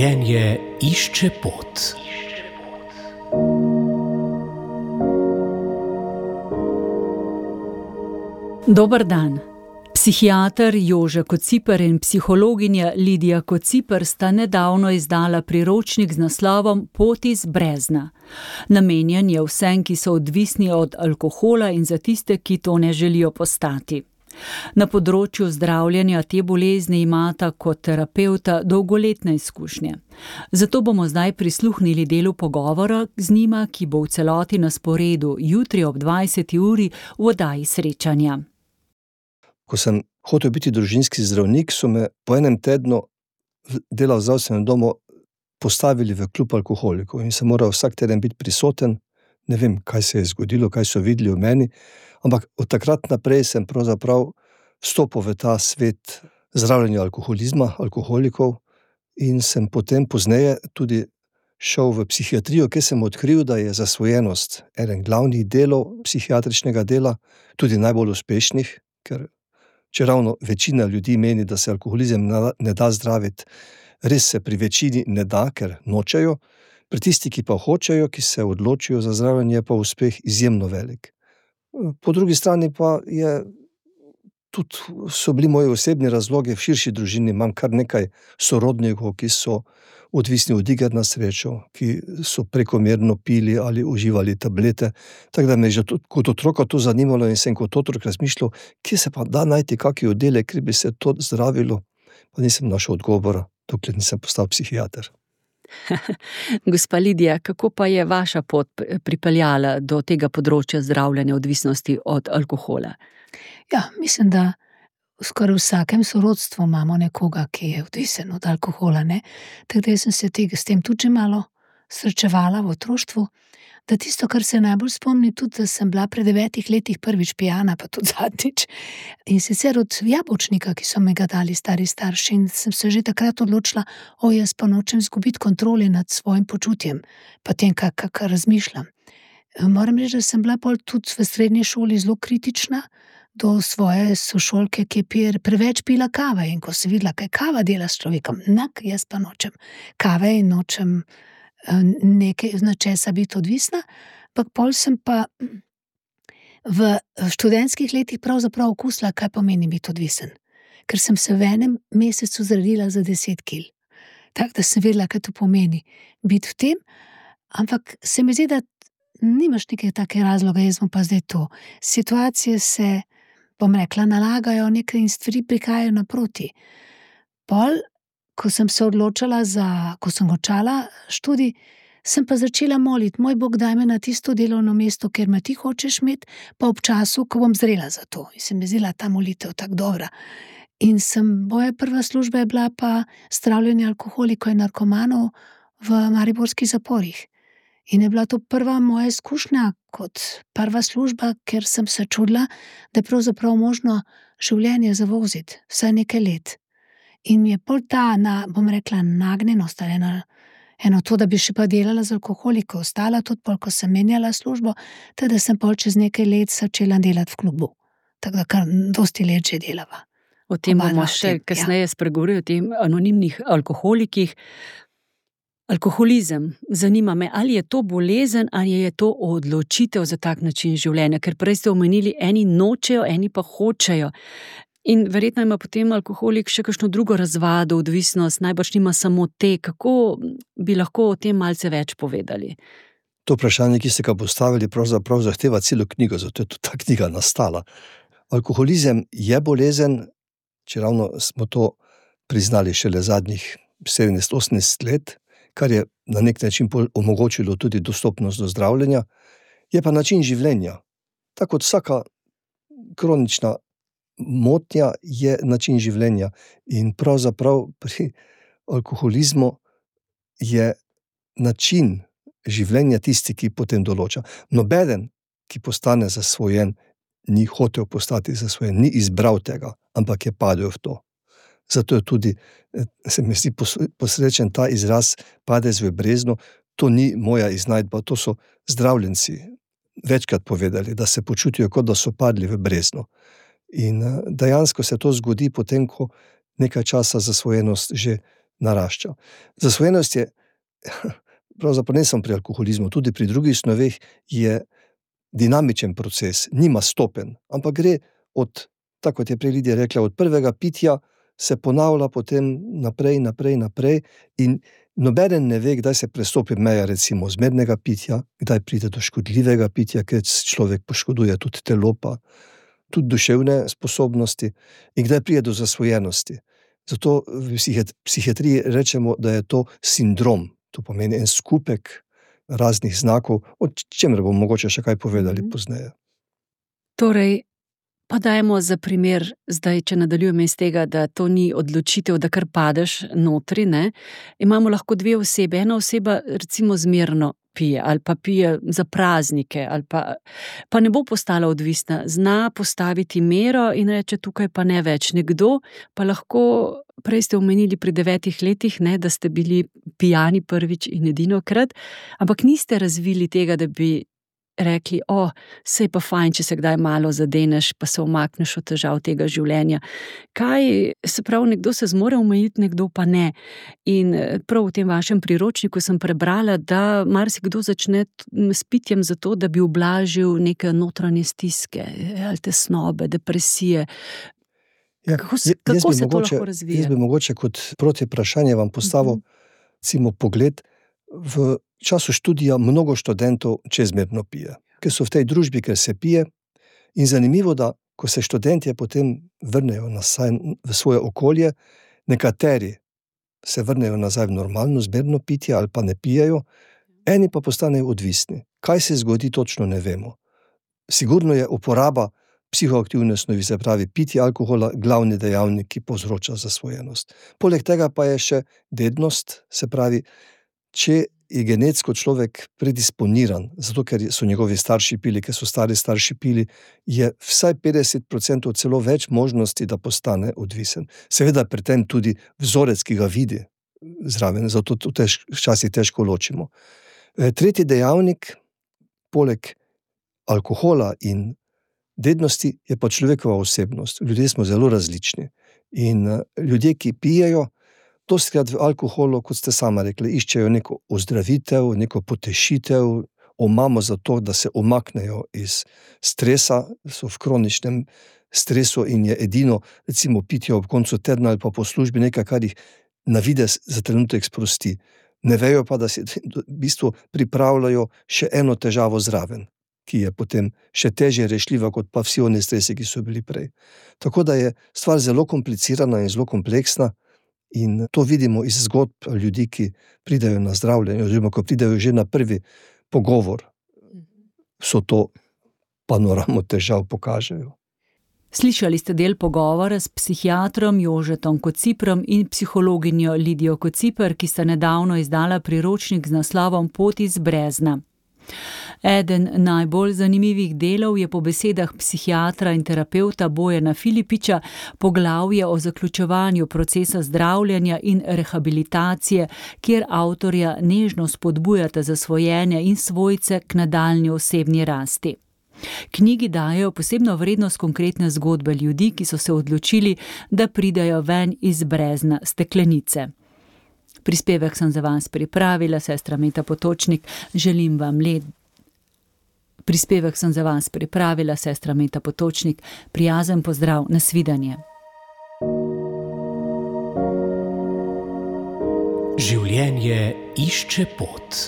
Življenje išče pot. Dober dan. Psihiater Jože Kociper in psihologinja Lidija Kociper sta nedavno izdala priročnik z naslovom Pot iz brezna. Namenjen je vsem, ki so odvisni od alkohola in za tiste, ki to ne želijo postati. Na področju zdravljenja te bolezni imata kot terapevta dolgoletne izkušnje. Zato bomo zdaj prisluhnili delu pogovora z njima, ki bo v celoti na sporedu jutri ob 20. uri v oddaji Srečanja. Ko sem hotel biti družinski zdravnik, so me po enem tednu dela v zdravstvenem domu postavili v klub alkoholikov in sem moral vsak teden biti prisoten. Ne vem, kaj se je zgodilo, kaj so videli v meni, ampak od takrat naprej sem pravzaprav vstopil v ta svet zdravljenja alkoholizma, alkoholikov in sem potem pozneje tudi šel v psihiatrijo, kjer sem odkril, da je zasvojenost eden glavnih delov psihiatričnega dela, tudi najbolj uspešnih, ker čeravno večina ljudi meni, da se alkoholizem ne da zdraviti, res se pri večini ne da, ker nočejo. Pri tisti, ki pa hočejo, ki se odločijo za zdravljenje, je pa uspeh izjemno velik. Po drugi strani pa so bili moji osebni razlogi v širši družini. Imam kar nekaj sorodnikov, ki so odvisni od iger na srečo, ki so prekomerno pili ali uživali tablete. Tako da me je že kot otroka to zanimalo in sem kot otrok razmišljal, kje se pa da najti kakšen oddelek, kjer bi se to zdravilo. Pa nisem našel odgovora, dokler nisem postal psihiater. Gospa Lidija, kako pa je vaša pot pripeljala do tega področja zdravljenja odvisnosti od alkohola? Ja, mislim, da skoraj v vsakem sorodstvu imamo nekoga, ki je odvisen od alkohola, ne? Tako da sem se s tem tudi že malo srečevala v otroštvu, da tisto, kar se najbolj spomni, tudi, da sem bila pri 9 letih prvič pijana, pa tudi zadnjič. In sicer od jabolčnika, ki so me ga dali stari starši, in sem se že takrat odločila, jaz pa nočem izgubiti kontrole nad svojim počutjem, pa tem, kar razmišljam. Moram reči, da sem bila pol tudi v srednji šoli zelo kritična do svoje sošolke, ki je preveč pila kave, in ko sem videla, kaj kava dela s človekom, jaz pa nočem kave in nočem nekaj z nečesa biti odvisna, ampak pol sem pa v študentskih letih pravzaprav okusila, kaj pomeni biti odvisen. Ker sem se v enem mesecu zredila za 10 kil. Tako da sem vedela, kaj to pomeni biti v tem, ampak se mi zdi, da nimaš neke take razloga, jaz bom pa zdaj to. Situacije se, bom rekla, nalagajo nekaj in stvari prihajajo naproti. Pol, ko sem se odločala ko sem končala študij, sem pa začela moliti, moj Bog, daj me na tisto delovno mesto, kjer me ti hočeš imeti, pa ob času, ko bom zrela za to. In se mi zdela ta molitev tako dobra. In moja prva služba je bila pa zdravljenje alkoholikov in narkomanov v mariborskih zaporih. In je bila to prva moja izkušnja kot prva služba, ker sem se čudila, da je pravzaprav možno življenje zavoziti vsaj nekaj let. In mi je pol ta, bom rekla, nagnjenost ali eno to, da bi še pa delala z alkoholiko, ostala tudi pol, ko sem menjala službo, tako da sem pol čez nekaj let začela delati v klubu. Tako da kar dosti let že delava. O tem bomo še kasneje spregovorili, o tem anonimnih alkoholikih. Alkoholizem, zanima me, ali je to bolezen ali je to odločitev za tak način življenja, ker prej ste omenili, eni nočejo, eni pa hočejo. In verjetno ima potem alkoholik še kakšno drugo razvado, odvisnost, najbrž nima samo te. Kako bi lahko o tem malce več povedali? To vprašanje, ki ste ga postavili, pravzaprav zahteva celo knjigo, zato je tudi ta knjiga nastala. Alkoholizem je bolezen, čeravno smo to priznali šele zadnjih 17-18 let, kar je na nek način omogočilo tudi dostopnost do zdravljenja, je pa način življenja. Tako kot vsaka kronična motnja je način življenja in pravzaprav pri alkoholizmu je način življenja tisti, ki potem določa. Nobeden, ki postane zasvojen, ni hotel postati zasvojen, ni izbral tega, ampak je padel v to. Zato je tudi, se mi zdi posrečen ta izraz padec v brezno, to ni moja iznajdba, to so zdravljenci večkrat povedali, da se počutijo, kot da so padli v brezno. In dejansko se to zgodi potem, ko nekaj časa zasvojenost že narašča. Zasvojenost je, pravzaprav ne samo pri alkoholizmu, tudi pri drugih snoveh je dinamičen proces, nima stopenj, ampak gre od, tako kot je prej Lidija rekla, od prvega pitja se ponavlja potem naprej in nobeden ne ve, kdaj se prestopi meja recimo zmernega pitja, kdaj pride do škodljivega pitja, ker človek poškoduje tudi telo, pa tudi duševne sposobnosti in kdaj pride do zasvojenosti. Zato v psihiatriji rečemo, da je to sindrom, to pomeni en skupek raznih znakov, o čemer bomo mogoče še kaj povedali pozneje. Torej, pa dajmo za primer, zdaj, če nadaljujemo iz tega, da to ni odločitev, da kar padeš notri, ne? Imamo lahko dve osebe. Ena oseba recimo zmerno pije ali pa pije za praznike ali pa ne bo postala odvisna, zna postaviti mero in reče tukaj pa ne več. Nekdo pa lahko, prej ste omenili pri 9 letih, ne, da ste bili pijani prvič in edinokrat, ampak niste razvili tega, da bi rekli, sej pa fajn, če se kdaj malo zadeneš, pa se umakneš od težav tega življenja. Kaj, se pravi, nekdo se zmore omejiti, nekdo pa ne. In prav v tem vašem priročniku sem prebrala, da marsikdo začne s pitjem zato, da bi ublažil neke notranje stiske, ali tesnobe, depresije. Ja, kako se to lahko razvije? Jaz bi mogoče kot protivprašanje vam postavil recimo pogled. V času študija mnogo študentov čezmerno pije, ker so v tej družbi, ker se pije, in zanimivo, da ko se študentje potem vrnejo nazaj v svoje okolje, nekateri se vrnejo nazaj v normalno zmerno pitje ali pa ne pijejo, eni pa postanejo odvisni. Kaj se zgodi, točno ne vemo. Sigurno je uporaba psihoaktivne snovi, se pravi pitje alkohola, glavni dejavnik, ki povzroča zasvojenost. Poleg tega pa je še dednost, se pravi, če je genetsko človek predisponiran, zato ker so njegovi starši pili, ker so stari starši pili, je vsaj 50% celo več možnosti, da postane odvisen. Seveda pri tem tudi vzorec, ki ga vidi zraven, zato to včasih težko ločimo. Tretji dejavnik, poleg alkohola in dednosti, je pa človekova osebnost. Ljudje smo zelo različni in ljudje, ki pijejo, dostikrat v alkoholu, kot ste sama rekli, iščejo neko ozdravitev, neko potešitev, omamo za to, da se umaknejo iz stresa, so v kroničnem stresu in je edino, recimo, pitje ob koncu tedna ali pa po službi nekaj, kar jih na videz za trenutek sprosti. Ne vejo pa, da si v bistvu pripravljajo še eno težavo zraven, ki je potem še težje rešljiva kot pa vsi oni stresi, ki so bili prej. Tako da je stvar zelo komplicirana in zelo kompleksna. In to vidimo iz zgodb ljudi, ki pridejo na zdravljenje, oziroma ko pridejo že na prvi pogovor, so to panoramo težav pokažejo. Slišali ste del pogovora s psihiatrom Jožetom Kociprom in psihologinjo Lidijo Kociper, ki sta nedavno izdala priročnik z naslovom Pot iz brezna. Eden najbolj zanimivih delov je po besedah psihiatra in terapevta Bojana Filipiča poglavje o zaključevanju procesa zdravljenja in rehabilitacije, kjer avtorja nežno spodbujata zasvojenje in svojce k nadaljnji osebni rasti. Knjigi dajejo posebno vrednost konkretne zgodbe ljudi, ki so se odločili, da pridejo ven iz brezna steklenice. Prispevek sem za vas pripravila, sestra Meta Potočnik, želim vam Prispevek sem za vas pripravila, sestra Meta Potočnik, prijazen pozdrav, nasvidenje. Življenje išče pot.